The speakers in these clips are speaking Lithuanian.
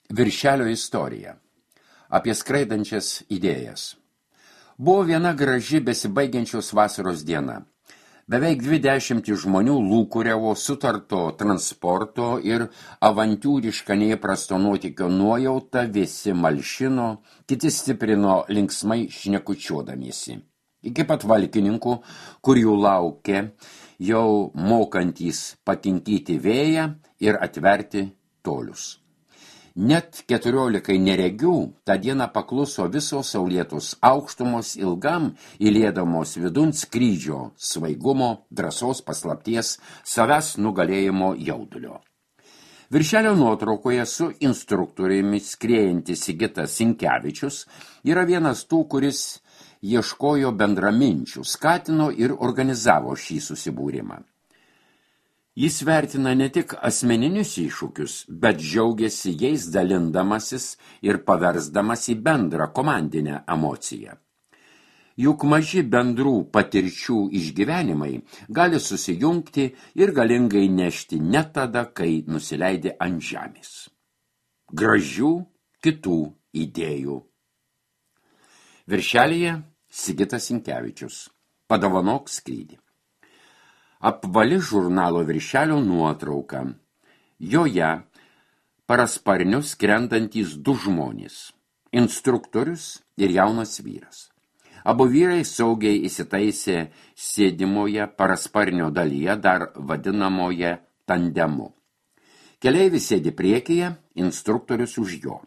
Viršelio istorija. Apie skraidančias idėjas. Buvo viena graži besibaigiančios vasaros diena. Beveik 20 žmonių lūkuriavo sutarto transporto ir avantiūrišką neįprasto nuotykio nuojautą, visi malšino, kiti stiprino linksmai šnekučiuodamiesi. Iki pat valkininkų, kur jų laukė, jau mokantys pakinkyti vėją ir atverti tolius. Net 14 neregių tą dieną pakluso visos saulėtos aukštumos ilgam įliedamos vidun skrydžio, svaigumo, drąsos paslapties, savęs nugalėjimo jaudulio. Viršelio nuotraukoje su instruktoriumi skriejantis Sigitas Sinkevičius yra vienas tų, kuris ieškojo bendraminčių, skatino ir organizavo šį susibūrimą. Jis vertina ne tik asmeninius iššūkius, bet džiaugiasi jais dalindamasis ir paversdamas į bendrą komandinę emociją. Juk maži bendrų patirčių išgyvenimai gali susijungti ir galingai nešti net tada, kai nusileidi ant žemės. Gražių kitų idėjų. Viršelyje Sigitas Sinkevičius. Padovanok skrydį. Apvali žurnalo Viršelio nuotrauka. Joje parasparniu skrendantys du žmonės. Instruktorius ir jaunas vyras. Abu vyrai saugiai įsitaisė sėdimoje parasparnio dalyje, dar vadinamoje tandemu. Keleivis sėdi priekyje, instruktorius už jo.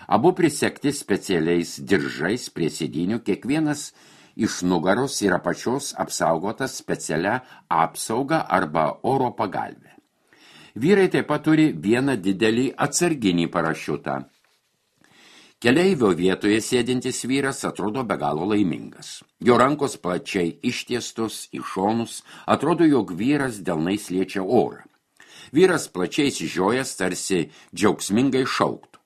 Abu prisekti specialiais diržais prie sėdinių, kiekvienas iš nugaros ir apačios apsaugotas specialia apsauga arba oro pagalvė. Vyrai taip pat turi vieną didelį atsarginį parašiutą. Keleivio vietoje sėdintis vyras atrodo be galo laimingas. Jo rankos plačiai ištiestos į šonus, atrodo, jog vyras delnais liečia orą. Vyras plačiai išsižiojęs, tarsi džiaugsmingai šauktų.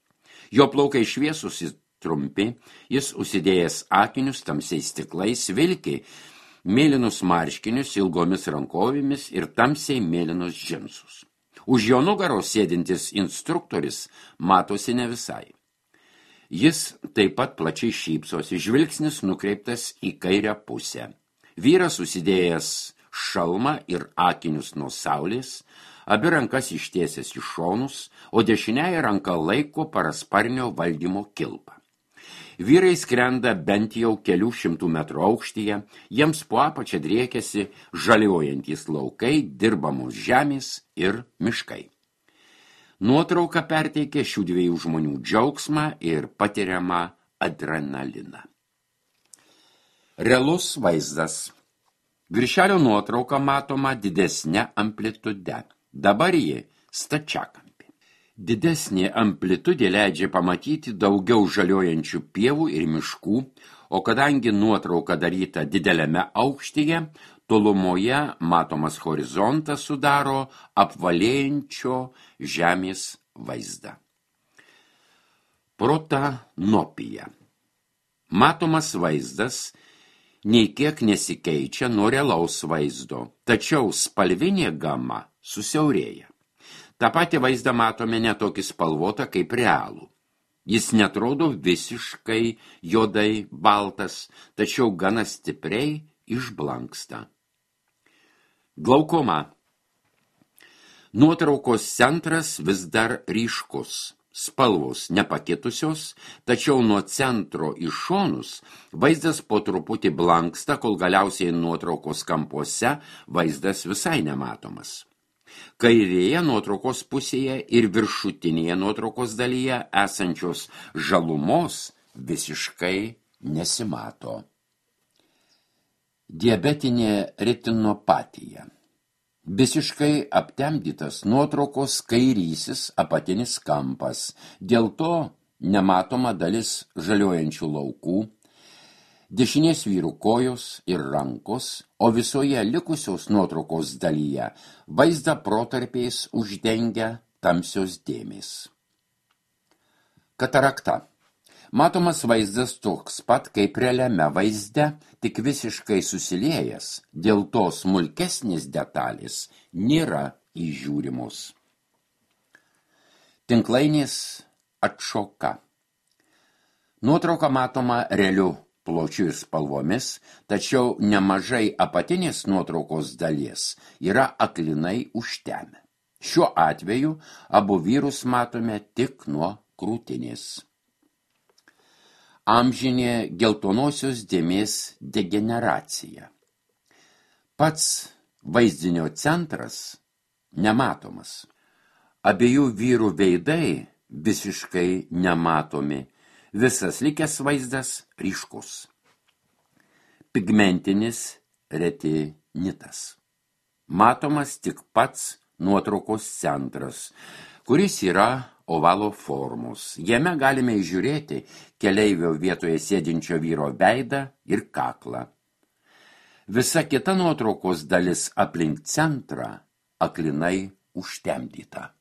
Jo plaukai šviesus ir trumpi, jis užsidėjęs akinius tamsiais stiklais, vilki mėlynus marškinius ilgomis rankovėmis ir tamsiai mėlynus džinsus. Už jo nugaros sėdintis instruktorius matosi ne visai. Jis taip pat plačiai šypsosi, žvilgsnis nukreiptas į kairę pusę. Vyras užsidėjęs šalmą ir akinius nuo saulės, abi rankas ištiesęs į šonus, o dešiniąją ranką laiko parasparnio valdymo kilpą. Vyrai skrenda bent jau kelių šimtų metrų aukštyje, jiems po apačią driekiasi žaliuojantys laukai, dirbamos žemės ir miškai. Nuotrauka perteikia šių dviejų žmonių džiaugsmą ir patiriamą adrenaliną. Realus vaizdas. Viršelio nuotrauka matoma didesnė amplitude. Dabar ji stačiakampė. Didesnė amplitudė leidžia pamatyti daugiau žaliuojančių pievų ir miškų, o kadangi nuotrauka daryta dideliame aukštyje, tolumoje matomas horizontas sudaro apvalėjančio žemės vaizdą. Protanopija. Matomas vaizdas nei kiek nesikeičia nuo realaus vaizdo, tačiau spalvinė gama susiaurėja. Ta pati vaizdą matome netokį spalvotą kaip realų. Jis netrodo visiškai juodai baltas, tačiau gana stipriai išblanksta. Glaukoma. Nuotraukos centras vis dar ryškus. Spalvos nepakitusios, tačiau nuo centro į šonus vaizdas po truputį blanksta, kol galiausiai nuotraukos kampuose vaizdas visai nematomas. Kairėje nuotraukos pusėje ir viršutinėje nuotraukos dalyje esančios žalumos visiškai nesimato. Diabetinė retinopatija. Visiškai aptemdytas nuotraukos kairysis apatinis kampas, dėl to nematoma dalis žaliuojančių laukų, dešinės vyrų kojos ir rankos, o visoje likusios nuotraukos dalyje vaizdą protarpiais uždengia tamsios dėmės. Katarakta. Matomas vaizdas toks pat kaip realiame vaizde, tik visiškai susiliejęs, dėl to smulkesnės detalės nėra įžiūrimos. Tinklainės atšoka. Nuotrauka matoma realiu pločiu ir spalvomis, tačiau nemažai apatinės nuotraukos dalies yra aklinai užtemę. Šiuo atveju abu vyrus matome tik nuo krūtinės. Amžinė geltonosios dėmės degeneracija. Pats vaizdinio centras nematomas. Abiejų vyrų veidai visiškai nematomi, visas likęs vaizdas ryškus. Pigmentinis retinitas. Matomas tik pats nuotraukos centras, kuris yra ovalo formos. Jame galime įžiūrėti keleivio vietoje sėdinčio vyro veidą ir kaklą. Visa kita nuotraukos dalis aplink centrą aklinai užtemdyta.